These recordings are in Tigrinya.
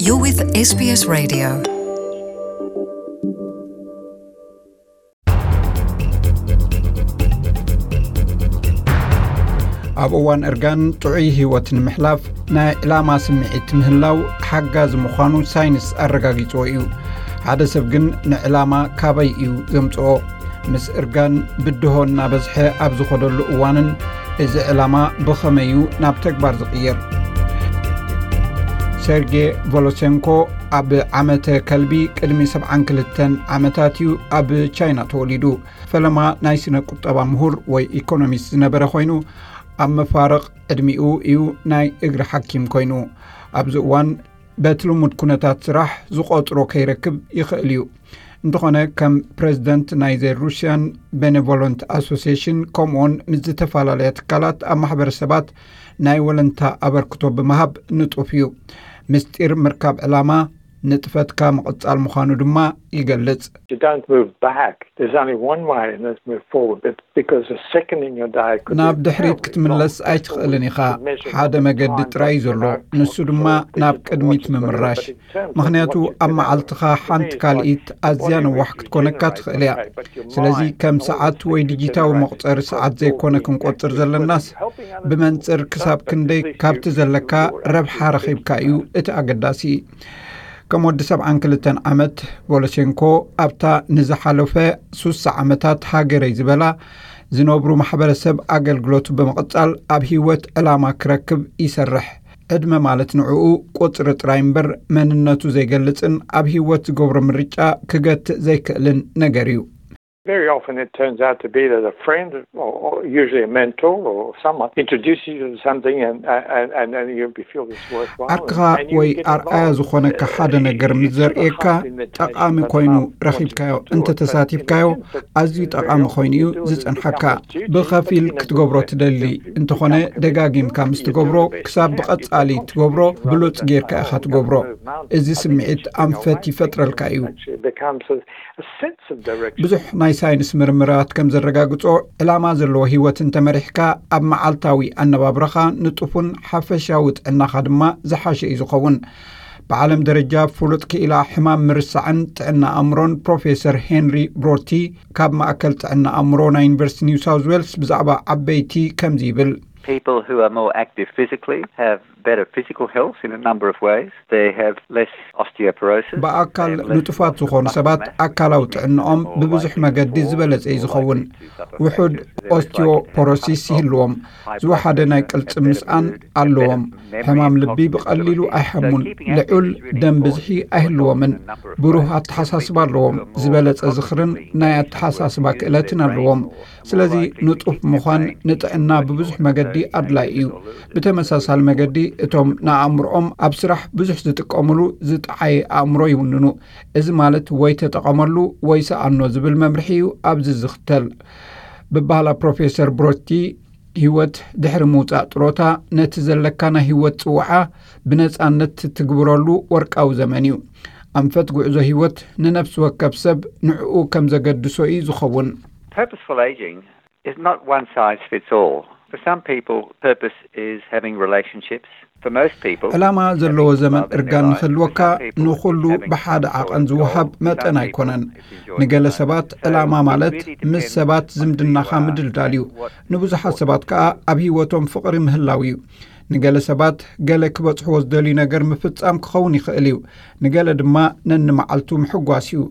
You're with S B S Radio. ኣብ እዋን እርጋን ጥዑይ ህይወት ንምሕላፍ ናይ ዕላማ ስምዒት ምህላው ሓጋዚ ምዃኑ ሳይንስ ኣረጋጊጽዎ እዩ። ሓደ ሰብ ግን ንዕላማ ካበይ እዩ ዘምጽኦ? ምስ እርጋን ብድሆ እናበዝሐ ኣብ ዝኸደሉ እዋንን እዚ ዕላማ ብኸመይ እዩ ናብ ተግባር ዝቕየር? ሴርጌ ቮሎሴንኮ ኣብ ዓመተ ከልቢ ቅድሚ ሰብዓን ክልተን ዓመታት እዩ ኣብ ቻይና ተወሊዱ። ፈለማ ናይ ስነ ቁጠባ ምሁር ወይ ኢኮኖሚስት ዝነበረ ኮይኑ፣ ኣብ መፋርቕ ዕድሚኡ እዩ ናይ እግሪ ሓኪም ኮይኑ። ኣብዚ እዋን በቲ ልሙድ ኩነታት ስራሕ ዝቖጽሮ ከይረክብ ይኽእል እዩ። እንተኾነ ከም ፕሬዚደንት ናይ ዘ ሩሽያን ቤኔቮለንት ኣሶሲሽን ከምኡውን ምስ ዝተፈላለያ ትካላት ኣብ ማሕበረሰባት ናይ ወለንታ ኣበርክቶ ብምሃብ ንጡፍ እዩ። ምስጢር ምርካብ ዕላማ ንጥፈትካ ምቕጻል ምዃኑ ድማ ይገልጽ። You don't move back. There's only one way, and that's move forward. But because the second in your day could ናብ be ድሕሪት ክትምለስ ኣይትኽእልን ኢኻ። ሓደ መገዲ ጥራይ እዩ ዘሎ፣ ንሱ ድማ ናብ ቅድሚት ምምራሽ። ምኽንያቱ ኣብ መዓልትኻ ሓንቲ ካልኢት ኣዝያ ነዋሕ ክትኮነካ ትኽእል እያ። ስለዚ ከም ሰዓት ወይ ዲጂታዊ መቑጸሪ ሰዓት ዘይኮነ ክንቆጽር ዘለናስ፣ ብመንጽር ክሳብ ክንደይ ካብቲ ዘለካ ረብሓ ረኺብካ እዩ እቲ ኣገዳሲ። ከም ወዲ ሰብዓን ክልተን ዓመት ቮሎሴንኮ ኣብታ ንዝሓለፈ ሱሳ ዓመታት ሃገረይ ዝበላ ዝነብሩ ማሕበረሰብ ኣገልግሎቱ ብምቕጻል ኣብ ህይወት ዕላማ ክረክብ ይሰርሕ። ዕድመ ማለት ንዕኡ ቁጽሪ ጥራይ እምበር መንነቱ ዘይገልጽን ኣብ ህይወት ዝገብሮ ምርጫ ክገትእ ዘይክእልን ነገር እዩ። Very often it turns out to be that a friend, or, or usually a mentor or someone, introduces you to something and, and, and, and you feel this worthwhile. ዓርክኻ ወይ ኣርኣያ ዝኾነካ ሓደ ነገር ምስ ዘርእየካ ጠቓሚ ኮይኑ ረኺብካዮ እንተተሳቲፍካዮ ኣዝዩ ጠቓሚ ኮይኑ እዩ ዝጸንሓካ። ብኸፊል ክትገብሮ ትደሊ እንተኾነ ደጋጊምካ ምስ ትገብሮ ክሳብ ብቐጻሊ ትገብሮ ብሉጽ ጌርካ ኢኻ ትገብሮ። እዚ ስምዒት ኣንፈት ይፈጥረልካ እዩ። ብዙሕ ናይ ሳይንስ ምርምራት ከም ዘረጋግጾ፣ ዕላማ ዘለዎ ህይወት እንተመሪሕካ፣ ኣብ መዓልታዊ ኣነባብራኻ ንጡፍን ሓፈሻዊ ጥዕናኻ ድማ ዝሓሸ እዩ ዝኸውን። ብዓለም ደረጃ ፍሉጥ ክኢላ ሕማም ምርሳዕን ጥዕና ኣእምሮን ፕሮፌሰር ሄንሪ ብሮቲ ካብ ማእከል ጥዕና ኣእምሮ ናይ ዩኒቨርሲቲ ኒው ሳውዝ ዌልስ ብዛዕባ ዓበይቲ ከምዚ ይብል። People who are more active physically have better physical health in a number of ways. They have less osteoporosis. ብኣካል ንጡፋት ዝኾኑ ሰባት ኣካላዊ ጥዕናኦም ብብዙሕ መገዲ ዝበለጸ እዩ ዝኸውን። ውሑድ ኦስቲዮፖሮሲስ ይህልዎም፣ ዝወሓደ ናይ ቅልጽም ምስኣን ኣለዎም። ሕማም ልቢ ብቐሊሉ ኣይሓሙን። ልዑል ደም ብዝሒ ኣይህልዎምን። ብሩህ ኣተሓሳስባ ኣለዎም። ዝበለጸ ዝኽርን ናይ ኣተሓሳስባ ክእለትን ኣለዎም። ስለዚ ንጡፍ ምዃን ንጥዕና ብብዙሕ መገዲ ኣድላይ እዩ። ብተመሳሳሊ መገዲ እቶም ንኣእምሮኦም ኣብ ስራሕ ብዙሕ ዝጥቀምሉ ዝጠዓየ ኣእምሮ ይውንኑ። እዚ ማለት ወይ ተጠቐመሉ ወይ ሰኣኖ ዝብል መምርሒ እዩ ኣብዚ ዝኽተል። ብባህላ ፕሮፌሰር ብሮቲ ህይወት ድሕሪ ምውጻእ ጥሮታ ነቲ ዘለካ ናይ ህይወት ጽውዓ ብነጻነት ትግብረሉ ወርቃዊ ዘመን እዩ። ኣንፈት ጉዕዞ ህይወት ንነፍሲ ወከፍ ሰብ ንዕኡ ከም ዘገድሶ እዩ ዝኸውን። Purposeful aging is not one size fits all. For some people, purpose is having relationships. For most people, ዕላማ ዘለዎ ዘመን እርጋን ንክህልወካ ንኹሉ ብሓደ ዓቐን ዝወሃብ መጠን ኣይኮነን። ንገለ ሰባት ዕላማ ማለት ምስ ሰባት ዝምድናኻ ምድልዳል እዩ። ንብዙሓት ሰባት ከኣ ኣብ ህይወቶም ፍቕሪ ምህላው እዩ። ንገለ ሰባት ገለ ክበጽሕዎ ዝደልዩ ነገር ምፍጻም ክኸውን ይኽእል እዩ። ንገለ ድማ ነንመዓልቱ ምሕጓስ እዩ።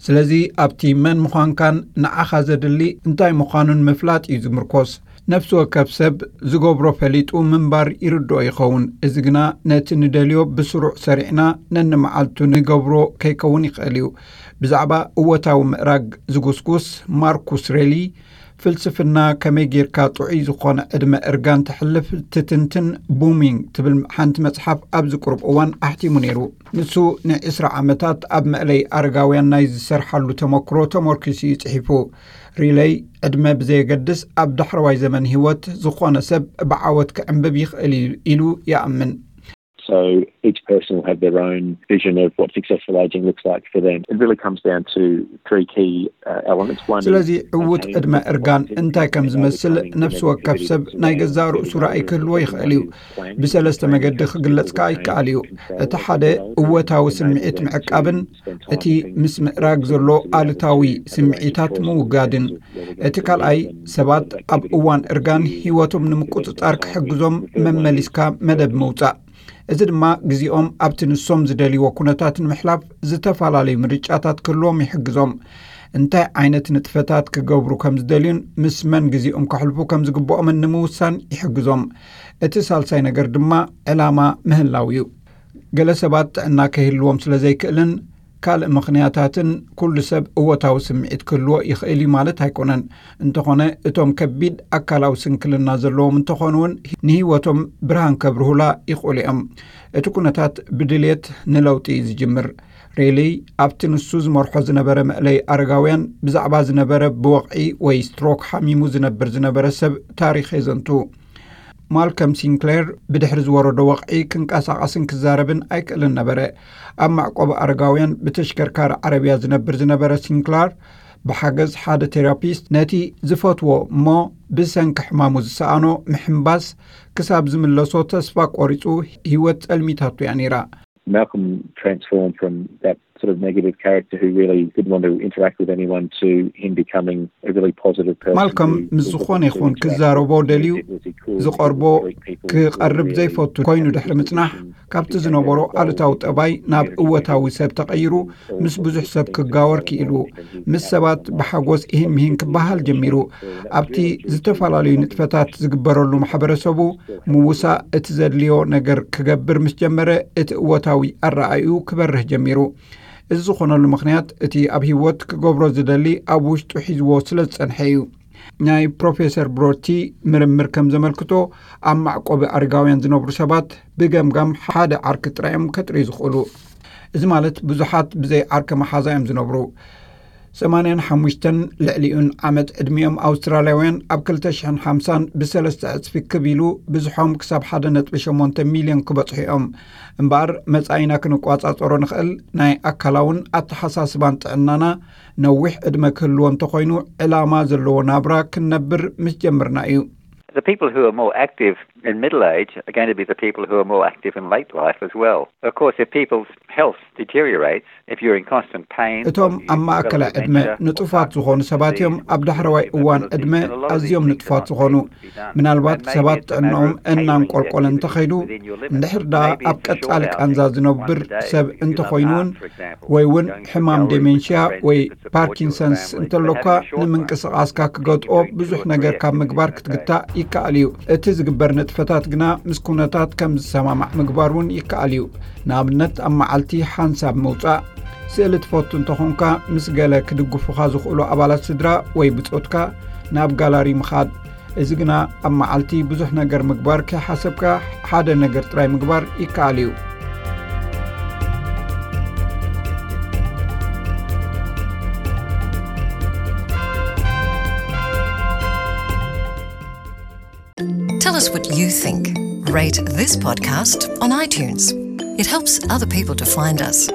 ስለዚ ኣብቲ መን ምዃንካን ንዓኻ ዘድሊ እንታይ ምዃኑን ምፍላጥ እዩ ዝምርኮስ። ነፍሲ ወከፍ ሰብ ዝገብሮ ፈሊጡ ምንባር ይርድኦ ይኸውን። እዚ ግና ነቲ ንደልዮ ብስሩዕ ሰሪዕና ነንመዓልቱ ንገብሮ ከይከውን ይኽእል እዩ። ብዛዕባ እወታዊ ምእራግ ዝጉስጉስ ማርኩስ ሬሊ፣ ፍልስፍና ከመይ ጌርካ ጥዑይ ዝኾነ ዕድመ እርጋን ተሕልፍ ትትንትን ቡሚንግ ትብል ሓንቲ መጽሓፍ ኣብዚ ቁሩብ እዋን ኣሕቲሙ ነይሩ። ንሱ ንዕስራ ዓመታት ኣብ መእለይ ኣረጋውያን ናይ ዝሰርሓሉ ተመክሮ ተመርኪሱ እዩ ጽሒፉ። ሪለይ ዕድመ ብዘየገድስ ኣብ ዳሕረዋይ ዘመን ህይወት ዝኾነ ሰብ ብዓወት ክዕንብብ ይኽእል እዩ ኢሉ ይኣምን። So each person will have their own vision of what successful aging looks like for them. It really comes down to three key uh, elements. One is ስለዚ ዕዉት ዕድመ እርጋን እንታይ ከም ዝመስል ነፍሲ ወከፍ ሰብ ናይ ገዛእ ርእሱ ራእይ ክህልዎ ይኽእል እዩ። ብሰለስተ መገዲ ክግለጽ ከኣ ይከኣል እዩ። እቲ ሓደ እወታዊ ስምዒት ምዕቃብን እቲ ምስ ምእራግ ዘሎ ኣሉታዊ ስምዒታት ምውጋድን፣ እቲ ካልኣይ ሰባት ኣብ እዋን እርጋን ህይወቶም ንምቁጽጻር ክሕግዞም መመሊስካ መደብ ምውጻእ። እዚ ድማ ግዜኦም ኣብቲ ንሶም ዝደልይዎ ኩነታት ንምሕላፍ ዝተፈላለዩ ምርጫታት ክህልዎም ይሕግዞም። እንታይ ዓይነት ንጥፈታት ክገብሩ ከም ዝደልዩን ምስ መን ግዜኦም ከሕልፉ ከም ዝግብኦምን ንምውሳን ይሕግዞም። እቲ ሳልሳይ ነገር ድማ ዕላማ ምህላው እዩ። ገለ ሰባት ጥዕና ከይህልዎም ስለ ዘይክእልን ካልእ ምኽንያታትን ኩሉ ሰብ እወታዊ ስምዒት ክህልዎ ይኽእል እዩ ማለት ኣይኮነን። እንተኾነ እቶም ከቢድ ኣካላዊ ስንክልና ዘለዎም እንተኾኑ እውን ንህይወቶም ብርሃን ከብርሁላ ይኽእሉ እዮም። እቲ ኩነታት ብድልየት ንለውጢ እዩ ዝጅምር። ሬሊ ኣብቲ ንሱ ዝመርሖ ዝነበረ መእለይ ኣረጋውያን ብዛዕባ ዝነበረ ብወቕዒ ወይ ስትሮክ ሓሚሙ ዝነብር ዝነበረ ሰብ ታሪኽ የዘንቱ። ማልከም ሲንክሌር ብድሕሪ ዝወረዶ ወቕዒ ክንቀሳቐስን ክዛረብን ኣይክእልን ነበረ። ኣብ መዕቆቢ ኣረጋውያን ብተሽከርካሪ ዓረብያ ዝነብር ዝነበረ ሲንክላር ብሓገዝ ሓደ ቴራፒስት ነቲ ዝፈትዎ እሞ ብሰንኪ ሕማሙ ዝሰኣኖ ምሕምባስ ክሳብ ዝምለሶ ተስፋ ቆሪጹ ህይወት ጸልሚታቱ እያ ነይራ። Malcolm transformed from that sort of negative character who really didn't want to interact with anyone to him becoming a really positive person. ማልኮም ምስ ዝኾነ ይኹን ክዛረቦ ደልዩ ዝቐርቦ ክቐርብ ዘይፈቱ ኮይኑ ድሕሪ ምጽናሕ ካብቲ ዝነበሮ ኣሉታዊ ጠባይ ናብ እወታዊ ሰብ ተቐይሩ ምስ ብዙሕ ሰብ ክጋወር ክኢሉ። ምስ ሰባት ብሓጎስ ኢህን ምሂን ክበሃል ጀሚሩ። ኣብቲ ዝተፈላለዩ ንጥፈታት ዝግበረሉ ማሕበረሰቡ ምውሳእ እቲ ዘድልዮ ነገር ክገብር ምስ ጀመረ እቲ እወታዊ ኣረኣእዩ ክበርህ ጀሚሩ። እዚ ዝኾነሉ ምኽንያት እቲ ኣብ ህይወት ክገብሮ ዝደሊ ኣብ ውሽጡ ሒዝዎ ስለ ዝጸንሐ እዩ። ናይ ፕሮፌሰር ብሮቲ ምርምር ከም ዘመልክቶ ኣብ መዕቆቢ ኣረጋውያን ዝነብሩ ሰባት ብገምጋም ሓደ ዓርኪ ጥራይ እዮም ከጥርዩ ዝኽእሉ። እዚ ማለት ብዙሓት ብዘይ ዓርኪ መሓዛ እዮም ዝነብሩ። ሰማንያን ሓሙሽተን ልዕሊኡን ዓመት ዕድሚኦም ኣውስትራልያውያን ኣብ ክልተ ሽሕን ሓምሳን ብሰለስተ ዕጽፊ ክብ ኢሉ ብዝሖም ክሳብ ሓደ ነጥቢ ሸሞንተ ሚልዮን ክበጽሑ እዮም። እምበኣር መጻኢና ክንቋጻጸሮ ንኽእል ናይ ኣካላውን ኣተሓሳስባን ጥዕናና ነዊሕ ዕድመ ክህልዎ እንተኾይኑ ዕላማ ዘለዎ ናብራ ክንነብር ምስ ጀምርና እዩ። The people who are more active in middle age are going to be the people who are more active in late life as well. Of course, if people's health deteriorates, if you're in constant pain, እቶም ኣብ ማእከላይ ዕድመ ንጡፋት ዝኾኑ ሰባት እዮም ኣብ ዳሕረዋይ እዋን ዕድመ ኣዝዮም ንጡፋት ዝኾኑ። ምናልባት ሰባት ጥዕናኦም እናንቆልቆለ እንተኸይዱ፣ እንድሕር ደኣ ኣብ ቀጻሊ ቃንዛ ዝነብር ሰብ እንተኾይኑ እውን፣ ወይ እውን ሕማም ዴሜንሽያ ወይ ፓርኪንሰንስ እንተሎካ፣ ንምንቅስቓስካ ክገጥኦ ብዙሕ ነገር ካብ ምግባር ክትግታእ ይከኣል እዩ። እቲ ዝግበር ንጥፈታት ግና ምስ ኩነታት ከም ዝሰማማዕ ምግባር እውን ይከኣል እዩ። ንኣብነት ኣብ መዓልቲ ሓንሳብ ምውጻእ። ስእሊ ትፈቱ እንተኾንካ ምስ ገለ ክድግፉኻ ዝኽእሉ ኣባላት ስድራ ወይ ብጾትካ ናብ ጋላሪ ምኻድ። እዚ ግና ኣብ መዓልቲ ብዙሕ ነገር ምግባር ከይሓሰብካ ሓደ ነገር ጥራይ ምግባር ይከኣል እዩ። Tell us what you think. Rate this podcast on iTunes. It helps other people to find us.